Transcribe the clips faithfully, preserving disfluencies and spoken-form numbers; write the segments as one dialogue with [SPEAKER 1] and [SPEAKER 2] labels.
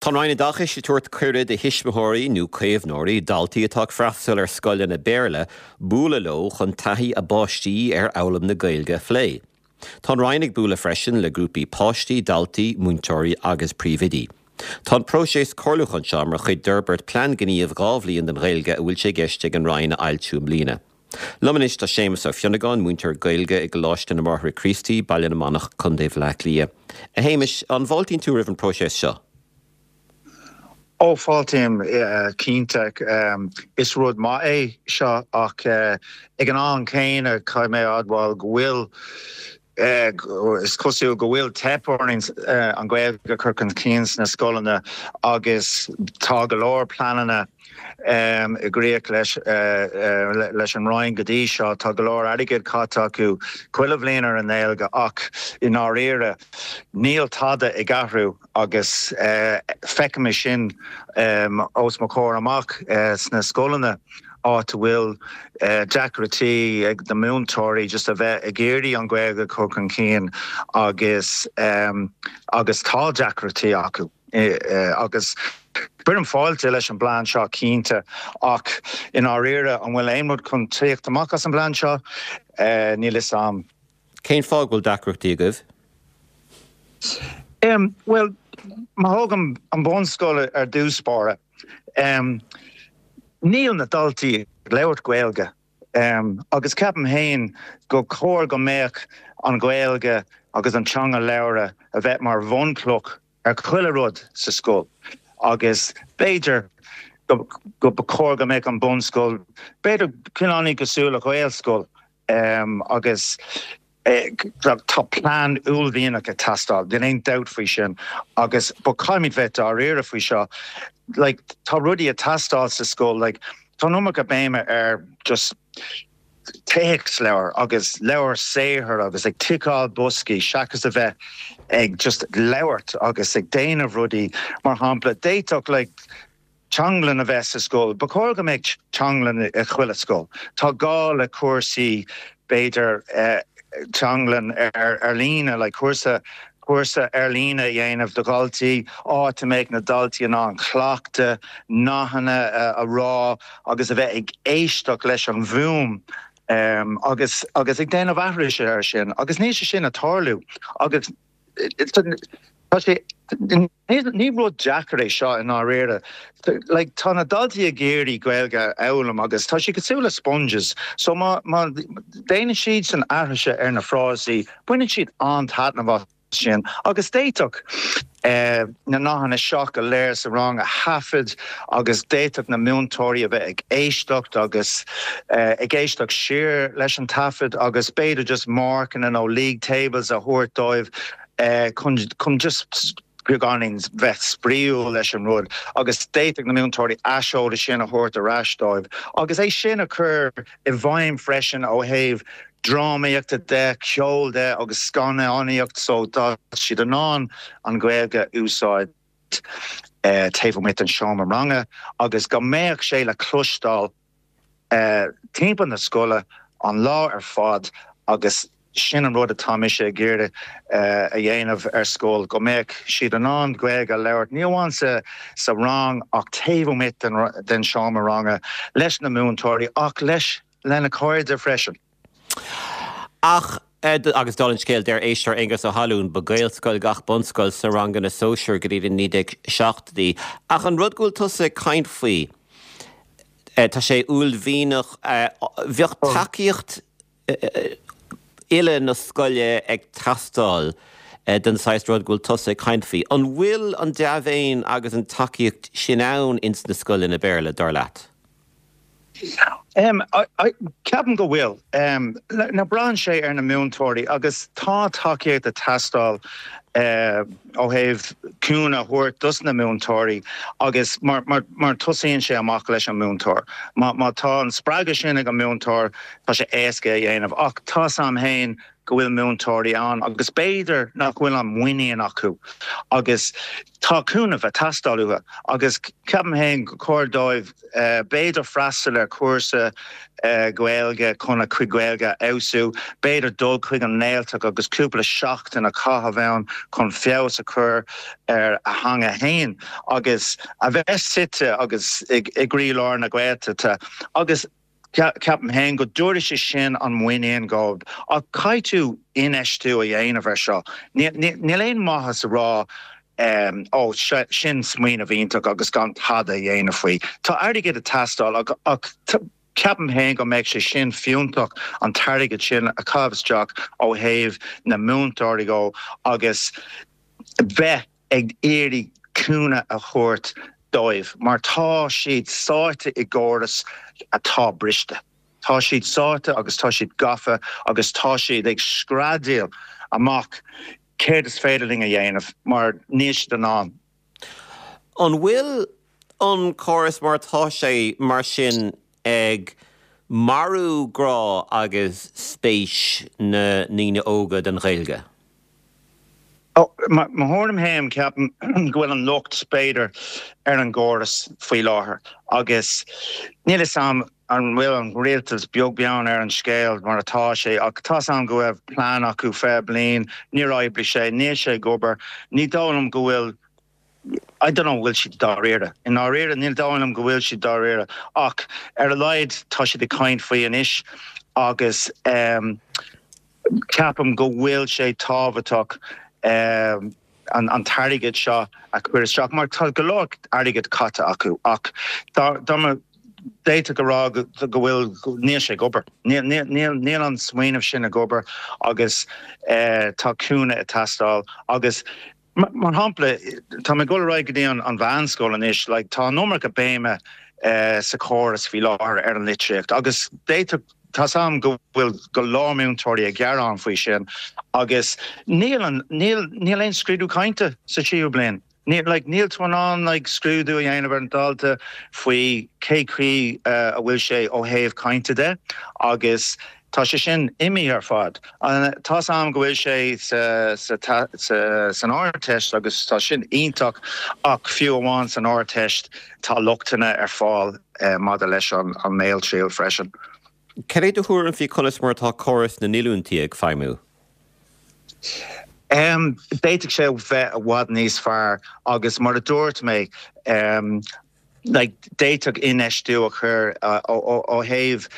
[SPEAKER 1] Tá an Roinn Oideachais ag tabhairt cuireadh do thuismitheoirí nó caomhnóirí daltaí atá ag freastal ar scoileanna Béarla bualadh leo chun taithí a bpáistí ar fhoghlaim na Gaeilge a phlé. Tá an Roinn ag bualadh freisin le grúpaí páistí, daltaí, múinteoirí agus príomhoidí. Tá an próiseas comhairliúcháin seo mar chuid d'fhorbairt plean gnímh dhá bhliain don Ghaeilge a bhfuil sé i gceist ag an Roinn a fhoilsiú i mbliana. Liom anois tá Séamus Ó Fionnagáin, múinteoir Gaeilge i gColáiste na mBráithre Críostaí, Baile na Manach, Contae Bhaile Átha Cliath. A Shéamais, an bhfáiltíonn tú roimh an próiseas seo?
[SPEAKER 2] Ó fáiltím cinnte is rud maith é seo ach ag an am céanna caithfidh mé admháil go bhfuil is cosúil go bhfuil teip orainn an Ghaeilge a chur chun cinn sna scoileanna agus tá go leor pleananna i gcrích leis leis an Roinn go dtí seo tá go leor airgead caite acu chuile bhliain ar an nGaeilge ach i ndáiríre níl tada ag athrú agus feicim sin os mo chomhair amach sna scoileanna áit a bhfuil deacrachtaí ag na múinteoirí just a bheith ag iarraidh an Ghaeilge chur chun cinn agus agus tá deacrachtaí acu agus Cuirim fáilte leis an bplean seo cinnte ach i ndáiríre an bhfuil aon rud chun teacht amach as an bplean seo níl a fhios agam.
[SPEAKER 1] Cén fáth bhfuil deacrachtaí agaibh?
[SPEAKER 2] Um, well, má thógaim an bunscoil ar dtús báire. Um, níl na daltaí ag labhairt Gaeilge. Um, agus ceapaim féin go chóir go mbeadh an Ghaeilge agus an teanga labhartha a bheith mar bhunchloch ar chuile rud sa scoil. agus b'fhéidir go go chóir go mbeadh an bunscoil, b'fhéidir cineál cosúil le Gaelscoil um, agus eh, tá plean uaillmhianach ag teastáil, Níl aon dabht faoi sin agus ba caithfimid bheith dáiríre faoi seo. Like, tá rudaí ag teastáil sa scoil, like, tá an iomarca béime ar just téacsleabhar agus leabhar saothair agus ag ticeáil boscaí seachas a bheith ag just labhairt agus ag déanamh rudaí mar shampla d'fhéadfadh like, teanglann a bheith sa scoil, Ba chóir go mbeadh teanglann i chuile scoil. Tá gá le cúrsaí b'fhéidir eh, teanglann ar ar líne le cúrsa cúrsa ar líne a dhéanamh do dhaltaí áit a mbeidh na daltaí in ann cleachtadh nathanna a rá agus a bheith ag éisteacht leis an bhfuaim um, agus agus ag déanamh aithris air sin agus níl sé sin ag tarlú agus Tá sé ní rud deacair é seo i ndáiríre. Like, tá na daltaí ag iarraidh Gaeilge a fhoghlaim agus tá sé cosúil le sponges, so má má déanann siad san aithris ar na frásaí, baineann siad an-taitneamh as sin agus d'fhéadfadh eh, na nathanna seo go léir sa rang a thaifead agus d'fhéadfadh na múinteoirí a bheith ag éisteacht agus eh, ag éisteacht siar leis an taifead agus b'fhéidir just marcanna nó league tables a thabhairt dóibh eh, chun chun just beagáinín bheith spraíúil leis an rud agus d'fhéadfadh na múinteoirí aiseolas sin a thabhairt ar ais dóibh agus é sin a chur i bhfeidhm freisin ó thaobh drámaíochta de ceol de agus scannánaíocht so tá siad in ann an Ghaeilge a úsáid eh, taobh amuigh den seomra ranga agus go mbeadh sé le cloisteáil eh, timpeall na scoile an lá ar fad agus sin an rud atá mise ag iarraidh uh, a dhéanamh ar scoil go mbeadh siad in ann Gaeilge a labhairt ní amháin sa sa rang ach taobh amuigh den, den seomra ranga leis na múinteoirí ach leis lena cairde freisin.
[SPEAKER 1] Ach agus dála an scéil deir éisteoir Aengus Ó hAlún ba Gaelscoil gach bunscoil sna ranganna sóisir go dtí naoi déag seachtóidí. Ach an rud go bhfuil tusa ag caint faoi tá sé uaillmhianach bheadh tacaíocht uile na scoile ag teastáil den saghas rud go bhfuil tusa ag caint faoi. An bhfuil an dea-mhéin agus an tacaíocht sin ann ins na scoileanna Béarla dar leat?
[SPEAKER 2] Um, Ceapaim go bhfuil um, na braitheann sé ar na múinteoirí agus tá tacaíocht ag teastáil uh, ó thaobh cúnamh a thabhairt dos na múinteoirí agus mar, mar, mar tosaíonn sé amach leis an múinteoir. Má, má tá an spreagadh sin ag an múinteoir tá sé éasca a dhéanamh ach tá sam héin go bhfuil múinteoirí ann agus b'fhéidir nach bhfuil an muinín acu agus tá cúnamh ag teastáil uathu agus ceapaim féin gur chóir dóibh eh, b'fhéidir freastal ar chúrsa eh, Gaeilge chun a gcuid Gaeilge a fheabhsú, b'fhéidir dul chuig an nGaeltacht agus cúpla seachtain a chaitheamh ann chun feabhas a chur ar a theanga féin agus a bheith suite agus i gcroílár na Gaeltachta agus ceapaim féin go dtabharfaidh sé sin an muinín dóibh ach caithfidh tú infheistiú a dhéanamh ar seo. Níl aon maitheas a rá um, ó sin smaoineamh iontach agus gan tada a dhéanamh faoi. Tá airgead ag teastáil ach ceapaim féin go mbeidh sé sin fiúntach an t-airgead sin a chaitheamh isteach ó thaobh na múinteoirí go agus bheith ag iarraidh cúnamh a thabhairt dóibh, mar tá siad sáite i gcóras atá briste. Tá siad sáite agus tá siad gafa agus tá siad ag screadaíl amach céard is féidir linn a dhéanamh mar níl siad in ann.
[SPEAKER 1] An bhfuil an córas mar tá sé mar sin ag marú grá agus spéis na ndaoine óga den Ghaeilge?
[SPEAKER 2] Mo thuairim féin ceapaim go bhfuil an locht b'fhéidir ar an gcóras faoi láthair agus níl a fhios agam an bhfuil an rialtas beag beann ar an scéal mar atá sé ach tá am go bhfuil plean acu fiche bliain níor oibrigh sé níl sé ag obair ní dóigh liom go bhfuil I don't know bhfuil siad dáiríre. I ndáiríre níl dóigh liom go bhfuil siad dáiríre ach ar a laghad tá siad ag caint faoi anois agus um, ceapaim go bhfuil sé tábhachtach um, an, an t-airgead seo a chur isteach mar tá go leor airgead caite acu ach d'fhéadfá go rá go bhfuil níl sé ag obair. Níl an smaoineamh sin ag obair agus uh, tá cúnamh ag teastáil agus mar shampla tá mé ag dul go dtí an mheánscoil anois, like, tá an iomarca béime uh, sa chóras faoi láthair ar an litríocht agus d'fhéadfadh tá am go bhfuil go leor múinteoirí ag gearán faoi sin agus níl níl níl aon scrúdú cainte sa tríú bliain. Níl like, níl tú in ann like, scrúdú a dhéanamh ar an dalta faoi cé chaoi uh, a bhfuil sé ó thaobh cainte de agus tá sé sin imithe ar fad. Tá am go bhfuil sé san Ardteist agus tá sin iontach ach fiú amháin san Ardteist tá lochtanna ar fáil uh, maidir leis an an mbéaltriail freisin.
[SPEAKER 1] Cad é do thuairim faoi conas mar atá córas na ndíolúintí ag feidhmiú?
[SPEAKER 2] Um, D'fhéadfadh sé bheith i bhfad níos fearr agus mar a dúirt mé um, like, d'fhéadfadh infheistiú a chur uh, ó thaobh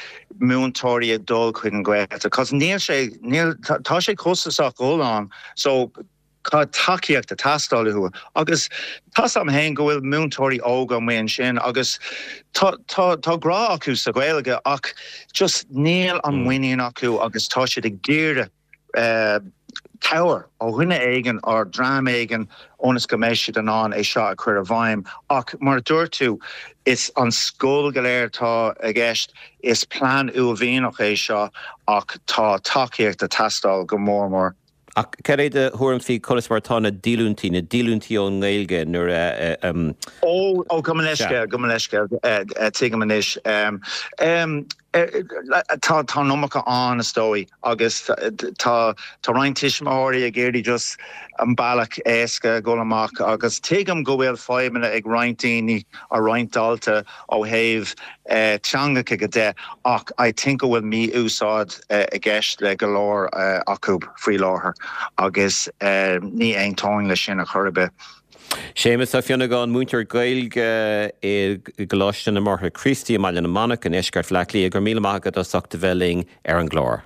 [SPEAKER 2] múinteoirí ag dul chuig an Ghaeltacht, cos níl sé níl tá sé costasach dul ann so tá tacaíocht ag teastáil uathu agus tá am féin go bhfuil múinteoirí óga amuigh ansin agus tá tá grá acu sa Ghaeilge ach just níl an mm. muinín acu agus tá siad ag iarraidh uh, cabhair ó dhuine éigin ar dream éigin ionas go mbeidh siad in ann é seo a chur i bhfeidhm ach mar dúirt tú is an scoil go léir tá i gceist is plean uaillmhianach é seo ach tá tacaíocht ag teastáil go mór mór.
[SPEAKER 1] Ach cad é do thuairim faoi conas mar tá na díolúintí na díolúintí ón nGaeilge nuair a
[SPEAKER 2] Ó ó go leisce go leisce tuigim anois tá tá an iomarca an is dóigh agus tá tá roinnt tuismitheoirí ag iarraidh just an bealach éasca dul amach agus tuigim go bhfuil fadhbanna ag roinnt daoine a roinnt dalta ó thaobh eh, teangacha go de ach I think go bhfuil mí-úsáid eh, i gceist le go leor eh, acu faoi láthair agus ní aontaím le sin a chor ar bith.
[SPEAKER 1] Séamus Ó Fionnagáin múinteoir Gaeilge i gColáiste na mBráithre Críostaí i mBaile na Manach in iarthar Bhaile Átha Cliath go raibh míle maith agat as ucht a bheith linn ar an gclár.